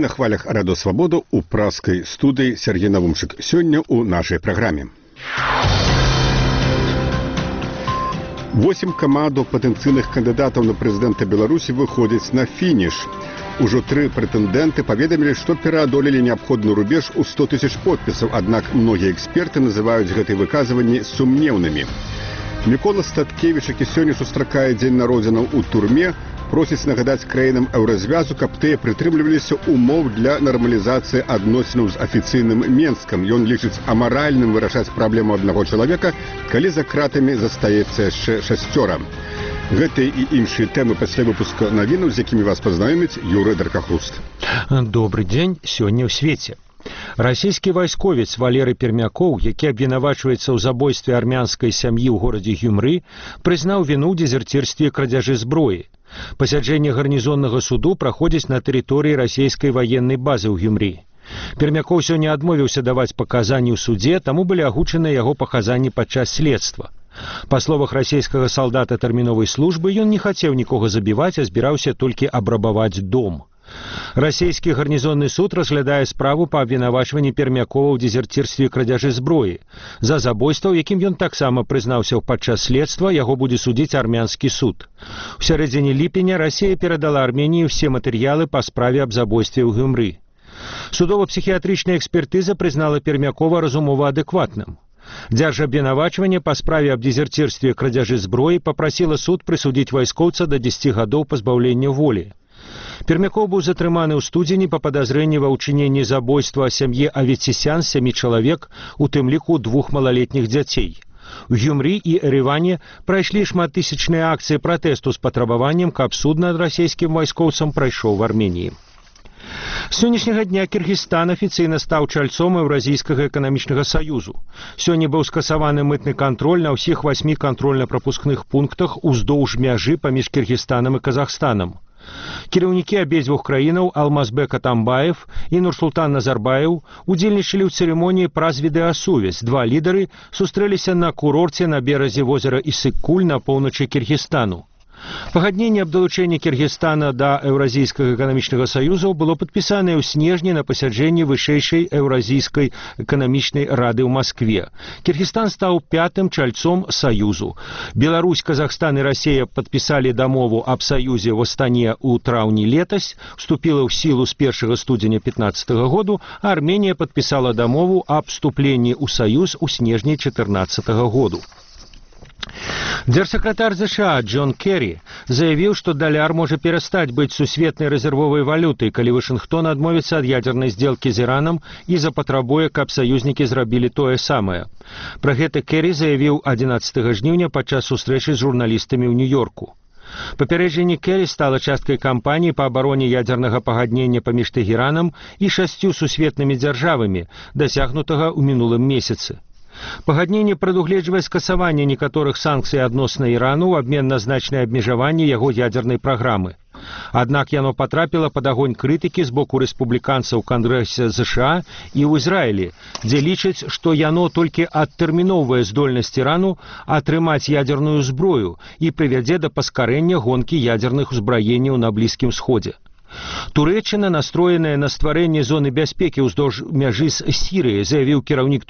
на хвалях Радио Свобода у пражской студии Сергей Навумчик. Сегодня у нашей программе. 8 камадаў патэнцыйных кандыдатаў на прэзідэнта Беларусі выходзяць на фініш. Ужо 3 прэтэндэнты паведамілі, што пераадолелі неабходны рубеж у 100 000 подпісаў, аднак многія эксперты называюць гэтыя выказванні сумнеўнымі. Мікола Статкевіч, які сёння сустракае дзень народзінаў у турме, просіць нагадаць краінам еўразвязу, каб тыя прытрымліваліся умоў для нармалізацыі адносінаў з афіцыйным Менскам. Ён лічыць амаральным вырашаць праблему аднаго чалавека, калі за кратамі застаецца яшчэ 6. Гэтыя і іншыя тэмы пасля выпуска навінаў, з якімі вас пазнаёміць Юрый Даркахруст. Добрый дзень, сёння ў свеце. Расійскі вайсковец Валерый Пермякоў, які абвінавачваецца ў забойстве армянскай сям'і ў горадзе Гюмры, прызнаў віну ў дезерцірстве і крадзяжы зброі. Пасяджэнне гарнізоннага суду праходзіць на тэрыторыі расійскай ваеннай базы ў Гюмры. Пермякоў сёння адмовіўся даваць паказанні ў судзе, таму былі агучаныя яго паказанні падчас следства. Па словах расійскага салдата тэрміновай службы, ён не хацеў нікога забіваць, а збіраўся толькі абрабаваць дом. Расійскі гарнізонны суд разглядае справу па абвінавачванні Пермякова ў дезерцірстве і крадзяжы зброі. За забойства, якім ён таксама прызнаўся падчас следства, яго будзе судзіць армянскі суд. У сярэдзіне ліпеня Расія перадала Арменіі ўсе матэрыялы па справе аб забойстве ў Гюмры. Судова-псіхіятрычная экспертыза прызнала Пермякова разумова адэкватным. Дзяржабвінавачванне па справе аб дезерцірстве і крадзяжы зброі папрасіла суд прысудзіць вайскоўца да 10 гадоў пазбаўлення волі. Пермякоў быў затрыманы ў студзені па падазрэнні ва ўчыненні забойства сям'і Аветсісян 7 чалавек, у тым ліку 2 малалетніх дзяцей. У Гюмры і Ереване прайшлі шматтысячныя акцыі пратэсту з патрабаваннем, каб суд над расійскім вайскоўцам прайшоў в Арменіі. З сённяшняга дня Кіргізстан афіцыйна стаў чальцом Еўразійскага эканамічнага саюзу. Сёння быў скасаваны мытны кантроль на ўсіх 8 кантрольна-прапускных пунктах уздоўж мяжы паміж Кіргізстанам і Казахстанам. Кіраўнікі абедзвюх краінаў Алмазбек Атамбаев і Нурсултан Назарбаев удзельнічалі ў цырымоніі праз відэасувязь. 2 лідары сустрэліся на курорце на беразе возера Исык-Куль на поўначы Кіргізстану. Пагадненне аб далучэнні Кіргізстана да Еўразійскага эканамічнага саюзу было падпісанае ў снежні на пасяджэнні вышэйшай Еўразійскай эканамічнай рады ў Маскве. Кіргізстан стаў 5-м чальцом саюзу. Беларусь, Казахстан і Расія падпісалі дамову аб саюзе ў Астане ў траўні летась, вступіла ў сілу з 1 студзеня 2015 году, а Арменія падпісала дамову аб вступленні ў саюз у снежні 2014 году. Дзяржсакратар США Джон Керри заявіў, што даляр можа перастаць быць сусветнай рэзервовай валютай, калі Вашынгтон адмовіцца ад ядзернай здзелкі з Іранам і запатрабуе, каб саюзнікі зрабілі тое самае. Пра гэта Керри заявіў 11 жніўня падчас сустрэчы з журналістамі ў Нью-Йорку. Папярэджанне Керри стала часткай кампаніі па абароне ядзернага пагаднення паміж Тэхеранам і 6 сусветнымі дзяржавамі, дасягнутага ў мінулым месяцы. Пагадненне прадугледжвае скасаванне некаторых санкцый адносна Ірану ў абмен на значнае абмежаванне яго ядзернай праграмы. Аднак яно патрапіла пад агонь крытыкі з боку рэспубліканцаў Кангрэсе США і ў Ізраілі, дзе лічаць, што яно толькі адтэрміноўвае здольнасць Ірану атрымаць ядзерную зброю і прывядзе да паскарэння гонкі ядзерных узбраенняў на Блізкім Сходзе. Турэччына настроеная на стварэнне зоны бяспекі ўздоўж мяжы з Сірыяй, заявіў кіраўнік